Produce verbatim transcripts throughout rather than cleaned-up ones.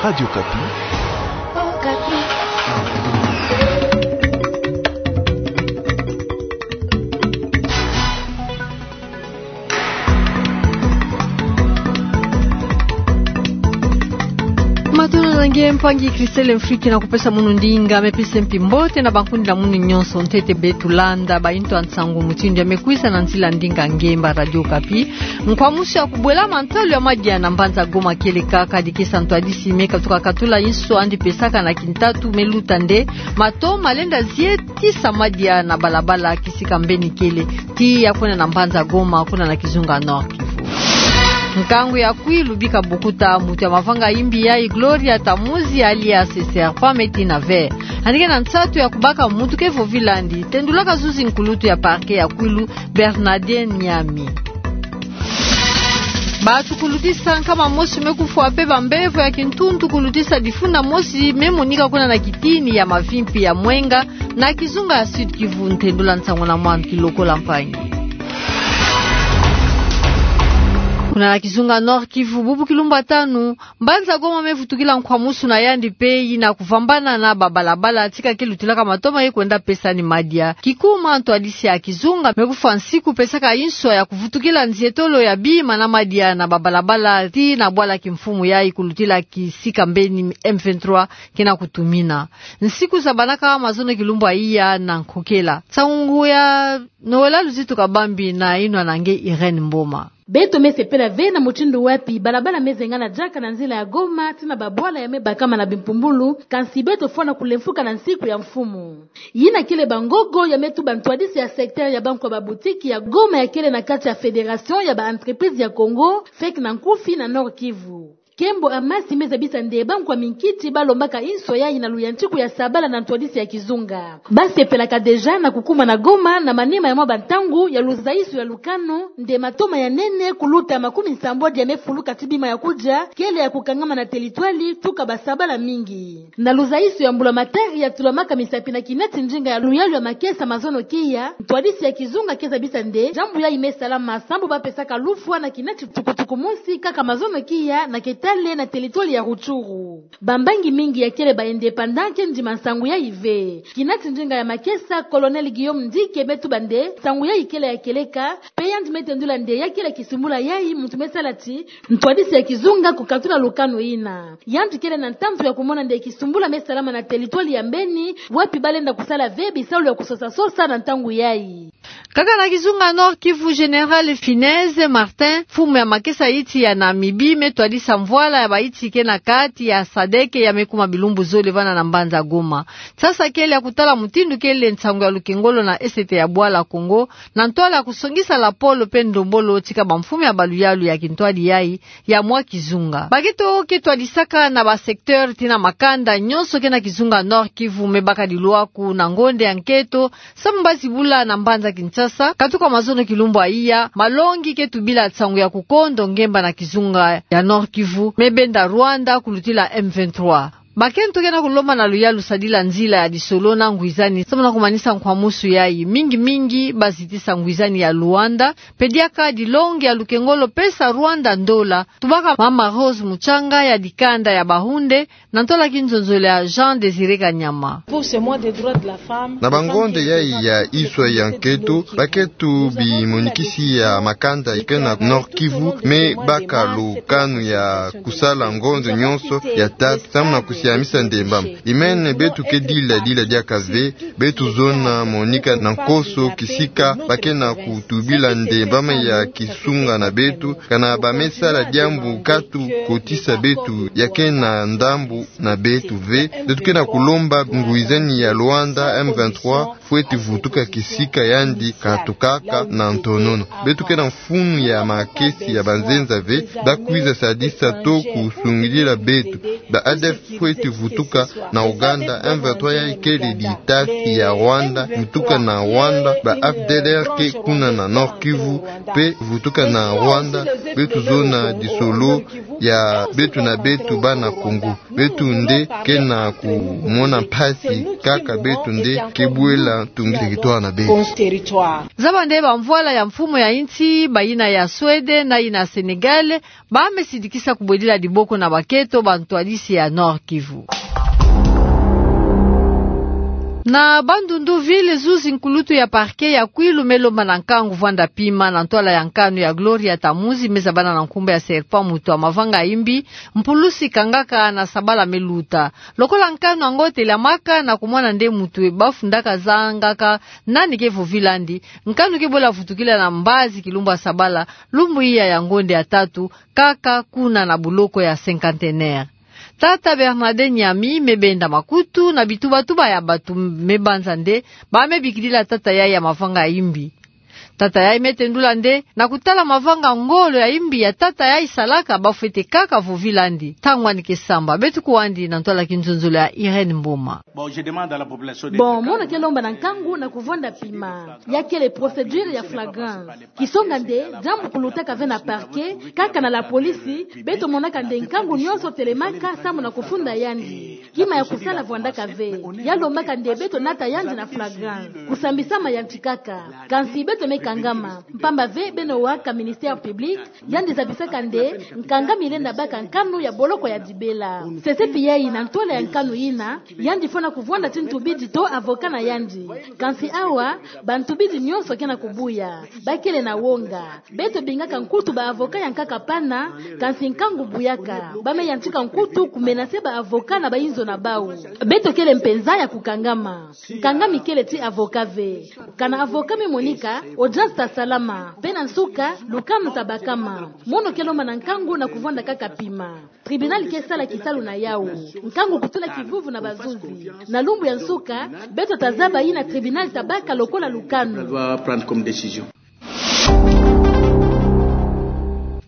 Radio Okapi. Matondo na nge mpangi Christelle Mfriki na kupesa munu ndinga, me pesa mpi mbote na bankundi na munu nyonso ntete beto landa bainto ya nsangu mutindu ya me kwisa na nzila ndinga ngemba Radio Okapi. Nkwamusu ya kubwela mantalu ya madia na mbanza Goma kele kaka dikisa ntwadisi me katuka katula inso yandi pesaka na kintatu me luta nde mato malenda zietisa madia na balabala kisika mbeni kele ti ya kwenda na mbanza Goma kuna na kizunga Nord Kivu. Nkangu ya Kwilu bika bukuta, mutu ya mavanga imbi yayi Gloria Tamuzi alias Serpent me tina ve. Yandi ke na nsatu ya kubaka mutu ke vovila yandi, tendulaka zuzi nkulutu ya parquet ya Kwilu Bernardin Niami. Bato kulutisa nkama mosi me kufwa pe bambevo ya kintuntu kulutisa difuna mosi me monika kuna na kitini ya mavimpi ya Mwenga na kizunga ya Sud Kivu. Ntendula nsangu na mwandu kilokola mpangi. Kuna na kizunga Nord Kivu, bubu kilumbu ya tanu, mbanza Goma me vutukila nkwamusu na yandi pe yina kuvambana na babalabala tika ke lutilaka mato ma ye kwenda pesa ni madia. Kikuma ntwadisi ya kizunga me kufwa nsiku pesaka inso ya kuvutukila nzietolo ya bima na madia na babalabala ti na bwala kimfumu yayi kulutila kisika mbeni M vingt-trois ke na kutumina. Nsiku zabanaka mazono kilumbu ya iya na nkokela. Nsangu ya nowela luzitu kabambi na yinwa na nge Irène Mboma. Beto me sepela ve na mutindu wapi balabala me zengana diaka na nzila ya Goma ti na babwala ya me bakama na bimpumbulu, kansi beto fwana kulemfuka na nsiku ya mfumu. Yina kele bangogo ya me tuba ntwadisi ya secteur ya bankwa babutiki ya Goma ya kele na kati ya Fédération ya ba entreprises ya Congo, fec na nkufi na Nord Kivu. Kembo Amasi me zabisa nde bankwa minkiti balombaka inso yayi na luyantiku ya sabala na ntwadisi ya kizunga. Basepelaka déjà na kukuma na Goma na manima ya mwa bantangu ya luzaiso ya lukanu, nde mato ma ya nene kuluta makumi nsambwadi ya me fuluka ti bima ya kudia kele ya kukangama na teritwali tuka basabala mingi. Na luzaiso ya mbulamatari ya tulamaka misapi na kinati ndinga ya luyalu ya makesa mazono kiya, ntwadisi ya kizunga ke zabisa nde diambu yayi me salama sambu bapesaka lufwa na kinati tukutuku mosi kaka mazono kiya na Ketale na teritwali ya Rutshuru. Bambangi mingi ya kele ba indépendants ke ndima nsangu yayi ve. Kinati ndinga ya makesa, Colonel Guillaume Ndike me tuba nde nsangu yayi kele ya kieleka, pe yandi me tendula nde ya kele kisumbula yayi muntu me sala ti ntwadisi ya kizunga kukatula lukanu yina. Yandi kele na ntantu ya kumona nde kisumbula me salama na teritwali ya Mbeni, wapi balenda kusala ve bisalu ya kusosasosa na ntangu yayi. Kaka na kizunga Nord Kivu, Général Finesse Martin, mfumu ya makesa yiti ya Namibie, me twadisa mvwala ya bayiti ke na kati ya sadeke ya me kuma bilumbu zole vana na mbanza Goma. Sasa kele ya kutala mutindu kele nsangu ya lukengolo na esete ya bwala Congo, na ntwala ya kusongisa lapolo pe ndombolo tika bamfumu ya baluyalu ya kintwadi yayi ya mwa kizunga. Baketo ke twadisaka na ba secteur ti na makanda nyonso ke na kizunga Nord Kivu me baka dilwaku na ngonde ya nketo, sambu bazibula na mbanza Kinshasa, katuka mazono kilumbu ya iya, malongi ke tubila nsangu ya kukondo ngemba na kizunga ya Nord Kivu, me benda Rwanda kulutila M vingt-trois. Bakento ke na kulomba na luyalu sadila nzila ya disolo na ngwizani, sambu na kumanisa nkwamusu yayi. Mingi mingi bazitisa ngwizani ya Luanda, pe diaka dilongi ya lukengolo pesa Rwanda ndola. Tubaka Mama Rose Mutsanga ya dikanda ya bahunde, na ntwala kinzonzolo ya Jean Désiré Kanyama. Pour ce mois des droits de la femme, na bangonde yayi ya iswa ya nketo, baketo bimonikisi ya makanda ke na Nord-Kivu me baka lukanu ya kusala ngonzo nyonso ya tata, samu na kusiamisa ndembama. Imene beto ke dila dila diaka ve, beto zona monika na nkoso kisika ba ke na kutubila ndembama ya kisunga na beto, kana ba me sala diambu katu kotisa beto ya ke na ndambu na beto ve. Beto ke na kulomba ngwizani ya Luanda, M vingt-trois, fweti vutuka kisika yandi katukaka na ntonono. Beto ke na mfunu ya makesi ya banzenza ve, ba kwiza sadisa to kusungidila beto. Ba A D F fweti vutuka na Ouganda, M vingt-trois yayi kele ditasi ya Rwanda, vutuka na Rwanda, ba F D L R ke kuna na Nord-Kivu, pe vutuka na Rwanda, beto zona disolo ya beto na beto bana Kongo. Beto nde ke na kumona mpasi kaka beto nde ke bwela Tungile kitoa na be. Zaba nde bamvwala ya mfumu ya insi, bayina ya Suède na yina Sénégal, bame sidikisa kubwedila diboko na bakento bantwadisi ya Nord-Kivu. Na Bandundu-Ville, zuzi nkulutu ya parquet ya Kwilu me lomba na nkangu vwanda pima na ntwala ya nkanu ya Gloria Tamuzi me zabana na nkumbu ya Serpent, mutu ya mavanga ya imbi, mpulusi kangaka na sabala me luta. Lokola nkanu yango telamaka na kumona nde mutu e bafu ndaka zangaka nani ke vovila'andi, nkanu ke bola vutukila na mbazi kilumbu ya sabala, lumbu iya ya ngonde ya tatu, kaka kuna na buloko ya Cinquantenaire. Tata Bernadette Nyami me benda makutu na bitubatuba ya batu me banza nde bame bikidila tata yayi ya mavanga ya imbi. Tata yayi me tendula nde, na kutala mavanga ngolo ya imbi ya tata yayi salaka, bafwete kaka vovila'andi ntangu yandi ke samba. Beto kuwandi na ntwala kinzonzolo ya Irène Mboma. Bon, mono ke lomba na nkangu na kuvwanda pima. Ya kele procédure ya flagrance. Kisonga nde, diambu kulutaka ve na parquet, kaka na la police, beto monaka nde nkangu nyonso telemaka samu na kufunda yandi. Kima ya kusala vwandaka ve. Ya lombaka nde beto nata yandi na flagrance. Kusambisama yantikaka. Kansi beto me kangama. Mpamba ve beno waka ministère public, yandi zabisaka nde nkangami lenda baka nkanu ya boloko ya dibela. Sesepi yayi na ntwala ya nkanu yina, yandi fwana kuvwanda ti ntubidi to avocat na yandi. Kansi awa, bantubidi nyonso ke na kubuya. Bakele na wonga. Beto bingaka nkutu ba avocat ya nkaka pana, kansi nkangu buyaka. Bame yantika nkutu kumenacer ba avocat na bayinzo na bawu. Beto kele mpenza ya kukangama. Nkangami kele ti avocat ve. Kana avocat me monika, audience ta salama. Mpe na nsuka, lukanu ta bakama. Mono ke lomba na nkangu na kuvwanda kaka pima. Tribunal ke sala kisalu na yawu. Nkangu kutula kivuvu na bazuzi. Na lumbu ya nsuka, beto ta zaba yina tribunal ta baka lokola lukanu.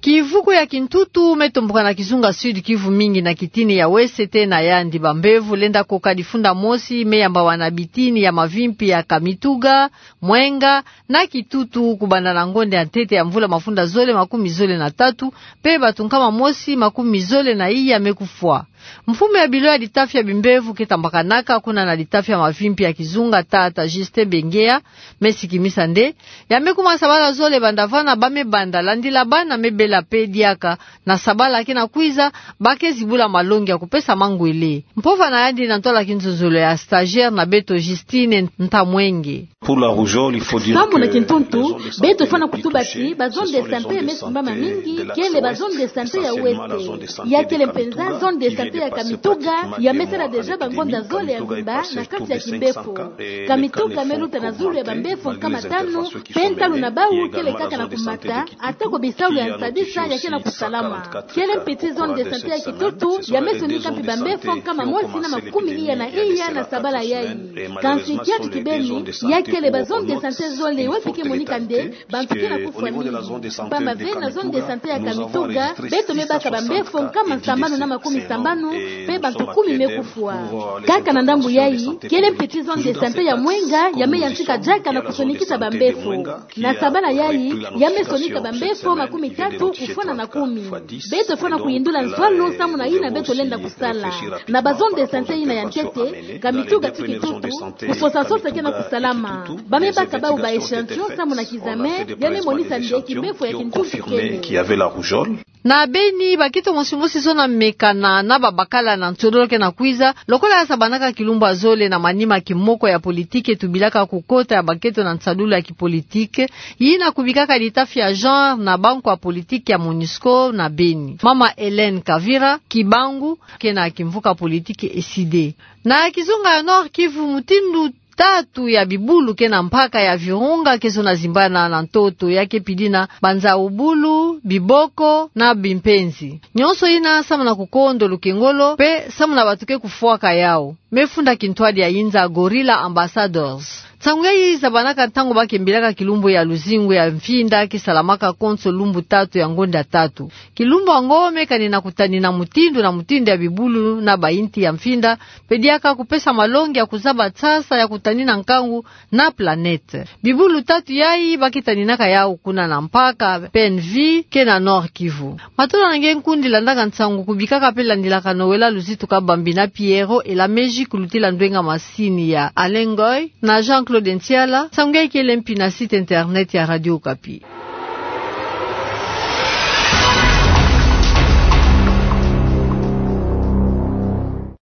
Kivuku ya kintutu me tomboka na kizunga Sud-Kivu, mingi na kitini ya Ouest, tena yandi bambevo lenda koka difunda mosi me yambawana bitini ya mavimpi ya Kamituga, Mwenga na Kitutu, kubanda na ngonde ya ntete ya mvula mafunda zole makumi zole na tatu, mpe batu nkama mosi makumi zole na iya me kufwa. Mfumu ya bilo ya litafi ya bimbevo ke tambakanaka kuna na litafi ya mavimpi ya kizunga, tata Justin Bengea, me sikimisa nde, ya me kuma sabala zole banda vana bame banda landila bana me bela mpe diaka, na sabala ke na kwiza, ba ke zibula malongi ya kupesa mangwele. Mpova na yandi na ntwala kinzonzolo ya stagiaire na beto Justine Ntamwenge. Samu na kintuntu, beto fwana kutuba ti ba zone de santé ya me simbama mingi kele ba zone de santé ya Ouest. Ya kele mpenza zone de santé ya Kamituga, ya me sala déjà bangonda zole ya mvimba na kati ya kimbefo. Kamituga me luta na zulu ya bambefo nkama tanu, mpe ntalu na bawu kele kaka na kumata, atako bisalu ya nsadisa ya ke na kusalama. Kele mpe ti zone de santé ya Kitutu, ya me sonika mpe bambefo nkama mosi na makumi iya na iya na sabala yayi. Kansi kiaki kibeni, ya kele ba zone de santé zole wapi ke monika nde bantu ke na kufwa mingi. Mpamba ve na zone de santé ya Kamituga, beto me baka bambefo nkama sambanu na makumi sambanu, mpe bantu kumi me kufwa. Kaka na ndambu yayi, kele mpe ti zone de santé ya Mwenga, ya me yantika diaka na kusonikisa bambefo. Na sabala yayi, ya me sonika bambefo makumi tatu kufwana na kumi. Beto fwana kuyindula nzwalu samu na yina beto lenda kusala. Na ba zone de santé yina ya ntete, Kamituga ti Kitutu, kusosa sosa ke na kusalama. Ba me baka bawu ba échantillon samu na kizame, ya me monisa nde kimbefo ya kintuntu kele. Na Beni, bakento mosi mosi zona mekana na babakala na ntiodolo ke na kwiza, lokola ya sabanaka kilumbu ya zole na manima kimoko ya politike tubilaka kukota ya bakento na nsadulu ya kipolitike, yina kubikaka litafi ya genre na banko ya politike ya MONUSCO na Beni. Mama Hélène Kavira Kibangu, ke na kimvuka politike ECIDE. Na kizunga ya Nord-Kivu, mutindu tatu ya bibulu ke na mpaka ya Virunga ke zona zimbana na ntoto, ya ke pidina banzau bulu, biboko na bimpenzi. Nyonso yina samu na kukondo lukengolo, mpe samu na bantu ke kufwaka yawu. Me funda kintwadi ya yinza Gorilla Ambassadors. Nsangu yayi zabanaka ntangu ba ke mbilaka kilumbu ya luzingu ya mfinda ke salamaka konso lumbu tatu ya ngonda tatu. Kilumbu yango me kanina kutanina mutindu na mutindu ya bibulu na bayinti ya mfinda, mpe diaka kupesa malongi ya kuzaba nsasa ya kutanina nkangu na planète. Bibulu tatu yayi ba ke taninaka yawu kuna na mpaka Penvi ke na Nord-Kivu. Matondo na nge nkundi landaka nsangu, kubikaka mpe landilaka nowela luzitu kabambi na Pierrot Elameji kulutila ndwenga masini ya Alain Ngoy na Jean-Claude Claudine Siala, sanggai kelen pina site internet ya Radio Okapi.